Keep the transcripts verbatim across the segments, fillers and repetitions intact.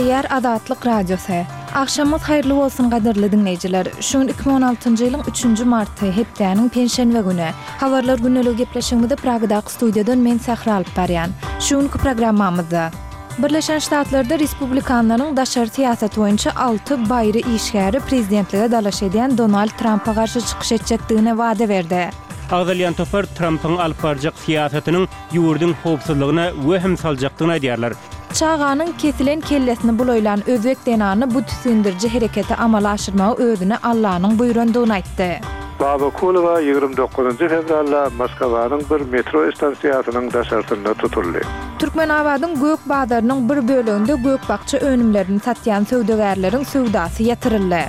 Gepleýär Azatlyk Radiosy. Agşamyňyz haýyrly bolsun gadyrly diňleýjiler. Şu gün iki müň on altynjy ýylyň üçünji marty, hepdäniň penşenbe güni. Habarlar gündeligi gepleşigimizi Pragadaky studiýadan men Sähra alyp barýan. Şu günki programmamyzda Birleşen Ştatlarda respublikanlaryň daşary syýasaty boýunça alty baýry işgäri prezidentlige dalaş edýän Donald Trampa garşy çykyş etjekdigine wada berdi. Agzalýan topar Trampyň alyp barjak syýasatynyň ýurduň howpsuzlygyna wehim saljakdygyny aýdýarlar. Çaganyň kesilen kellesini bulaýlan özbek zenany bu tisgindiriji hereketi amala aşyrmagy özüne Allanyň buýrandygyny aýtdy. Babakulowa ýigrimi dokuzynjy fewralda Moskwanyň bir metro stansiýasynyň daşarsynda tutuldy. Türkmenabadyň gök bazarynyň bir böleginde gök-bakja önümlerini satýan söwdagärleriň söwdasy ýatyryldy.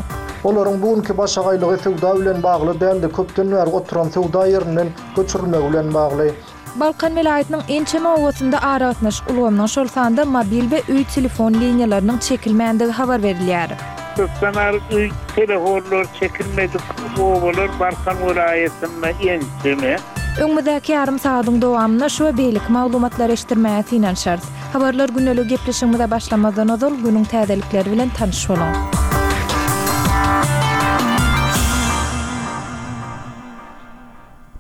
Olaryň bu günki başagaýlygy söwda bilen bagly däldi, köpden bäri oturan söwda ýerinden göçürilmegi bilen bagly. Balkan welaýatynyň ençeme obasynda aragatnaşyk ulgamynyň, şol sanda mobil we öý telefon liniýalarynyň çekilmändigi habar berilýär. Köpden bäri öý telefonlary çekilmedik obalar Balkan welaýatynda ençeme. Öňümizdäki ýarym sagadyň dowamynda şu we beýleki maglumatlary eşitdirmäge synanyşarys. Habarlar gündelik gepleşigimize başlamazdan ozal günüň täzelikleri bilen tanyş boluň.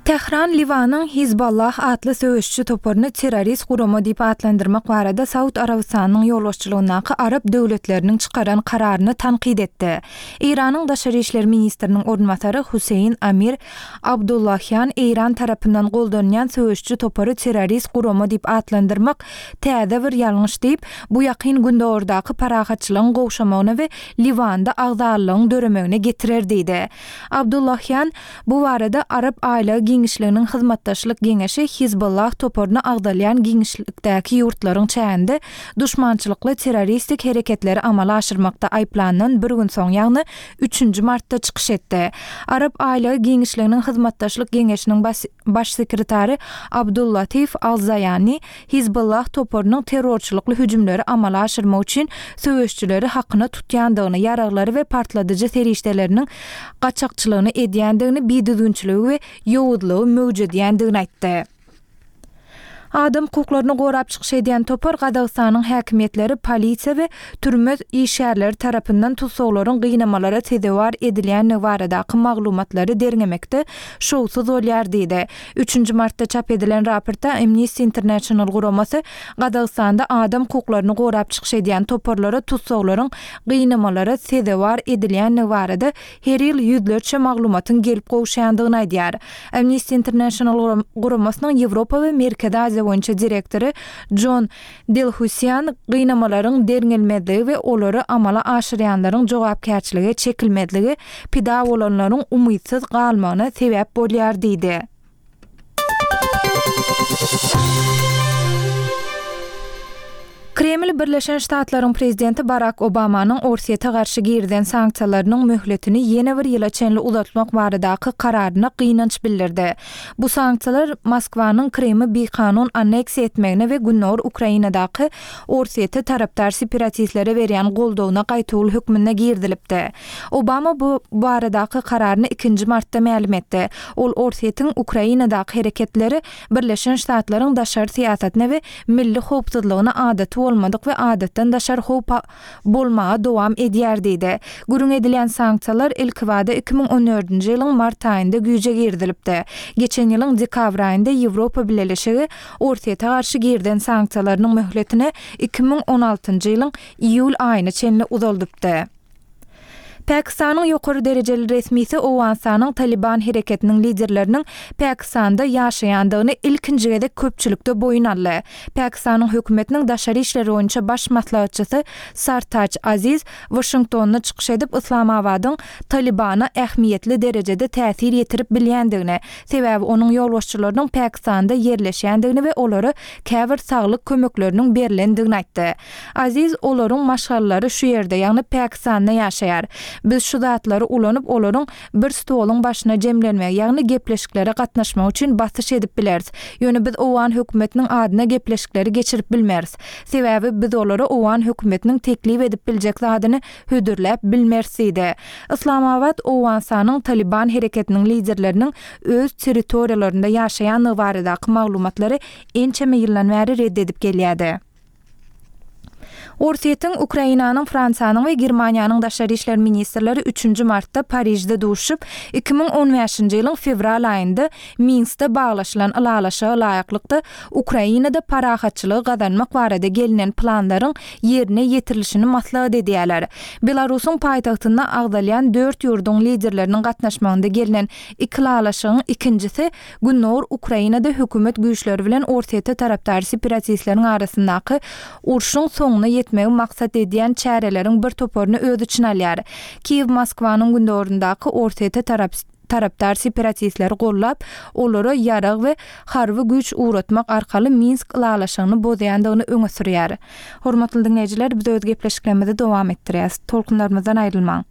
Tähran Liwanyň Hizballah atly söweşçi toparyny terrorist gurama diýip atlandyrmak barada Saud Arabystanynyň ýolbaşçylygyndaky arap döwletleriniň çykaran kararyny tankyt etdi. Eýranyň daşary işler ministriniň orunbasary Huseýin Amir Abdullahian Eýran tarapyndan goldanýan söweşçi topary terrorist gurama diýip atlandyrmak täze bir ýalňyş diýip, bu Ýakyn Gündogardaky parahatçylygyň gowşamagyna we Liwanda agzalygyň döremegine getirer diýdi. Abdullahian bu barada Arap aýlagy giňişliginiň hyzmatdaşlyk geňeşi Hizbullah toparyna agzalýan giňişlikdäki ýurtlaryň çäginde duşmançylykly terroristik hereketleri amala aşyrmakda aýyplandan bir gün soň, ýagny üçünji martda çykyş etdi. Arap aýlagy giňişliginiň hyzmatdaşlyk geňeşiniň baş sekretary Abdullatif Al-Zaýani Hizbullah toparynyň terrorçylykly hüjümleri amala aşyrmak üçin söweşçileri hakyna tutýandygyny, ýaraglary we partladyjy serişdeleriniň gaçakçylygyny edýändigini, bidüzgünçiligi we ýowuzlygy möwjedýändigini aýtdy. Adam hukuklaryny gorap çykyş edýän topar Gazagystanyň häkimiýetleri, polisiýa we türme işgärleri tarapyndan tussaglaryň gynamalara sezewar edilýändigi baradaky maglumatlary derňemekde şowsuz bolýar diýdi. Üçünji martda çap edilen raportda Amnesty International guramasy Gazagystanda adam hukuklaryny gorap çykyş edýän toparlara tussaglaryň gynamalara sezewar edilýändigi barada her ýyl ýüzlerçe maglumatyň gelip gowşandygyny aýdýar. Amnesty International guramasynyň Ýewropa we Merkezi Aziýa boýunça direktory John Delhusian gynamalaryň derňelmezligi we olary amala aşyrýanlaryň jogapkärçilige çekilmezligi pida bolanlaryň umytsyz galmagyna sebäp bolýar diýdi. Kreml Birleşen Ştatlaryň prezidenti Barak Obamanyň Orsýete garşy girizen sanksiýalarynyň möhletini ýene bir ýyla çenli uzatmak baradaky kararyna gynanç bildirdi. Bu sanksiýalar Moskwanyň Krymy bikanun anneksiýa etmegine we Gündogar Ukrainadaky Orsýete tarapdar separatistlere berýän goldawyna gaýtawul hökmünde girizilipdi. Obama bu baradaky kararyny ikinji martda mälim etdi. Ol Orsýetiň Ukrainadaky hereketleri Birleşen Ştatlaryň daşary syýasatyna we milli howpsuzlygyna adaty bolmadyk we adatdan daşary howp bolmaga dowam edýär diýdi. Gürrüň edilýän sanksiýalar ilkibada iki müň on dördünji ýylyň mart aýynda güýje girizilipdi. Geçen ýylyň dekabr aýynda Ýewropa Bileleşigi Orsýete garşy girizen sanksiýalarynyň möhletini iki müň on altynjy ýylyň iýul aýyna çenli uzaldypdy. Pakistanyň ýokary derejeli resmisi Owganystanyň Taliban hereketiniň liderleriniň Pakistanda ýaşaýandygyny ilkinji gezek köpçülikde boýun aldy. Pakistanyň hökümetiniň daşary işler boýunça baş maslahatçysy Sartaç Aziz Waşingtonda çykyş edip, Yslamabadyň Talibana ähmiýetli derejede täsir ýetirip bilýändigini, sebäbi onuň ýolbaşçylarynyň Pakistanda ýerleşýändigini we olara käbir saglyk kömekleriniň berlendigini aýtdy. Aziz olaryň maşgalalary şu ýerde, ýagny Pakistanda ýaşaýar. Biz şu zatlary ulanyp, olaryň bir stoluň başyna jemlenmegi, ýagny gepleşiklere gatnaşmak üçin basyş edip bileris. Ýöne biz owgan hökümetiniň adyna gepleşikleri geçirip bilmeris. Sebäbi biz olara owgan hökümetiniň teklip edip biljek zadyny hödürläp bilmeris diýdi. Islamabad Owganystanyň Taliban hereketiniň liderleriniň öz territoriýalarynda ýaşaýandygy baradaky maglumatlary ençeme ýyldan bäri red edip gelýärdi. Orsýetiň, Ukrainanyň, Fransiýanyň we Germaniýanyň daşary işler ministrleri üçünji martda Parižde duşuşyp, iki müň on bäşinji ýylyň fewral aýynda Minskde baglaşylan ylalaşyga laýyklykda Ukrainada parahatçylygy gazanmak barada gelnen planlaryň ýerine ýetirilişini maslahat edýärler. Belarusyň paýtagtynda agzalýan dört ýurduň liderleriniň gatnaşmagynda gelnen iki ylalaşygyň ikinjisi Gündogar Ukrainada hökümet güýçleri bilen Orsýete tarapdar separatistleriň arasyndaky urşuň soňuna ýetmegi maksat edýän çäreleriň bir toparyny öz içine alýar. Kiýew Moskwanyň gündogaryndaky Orsýete tarapdar separatistleri gollap, olara ýarag we harby güýç ugratmak arkaly Minsk ylalaşygyny bozýandygyny öňe sürýär. Hormatly diňleýjiler, biz öz gepleşiklerimizi dowam etdirýäris. Tolkunlarymyzdan aýrylmaň.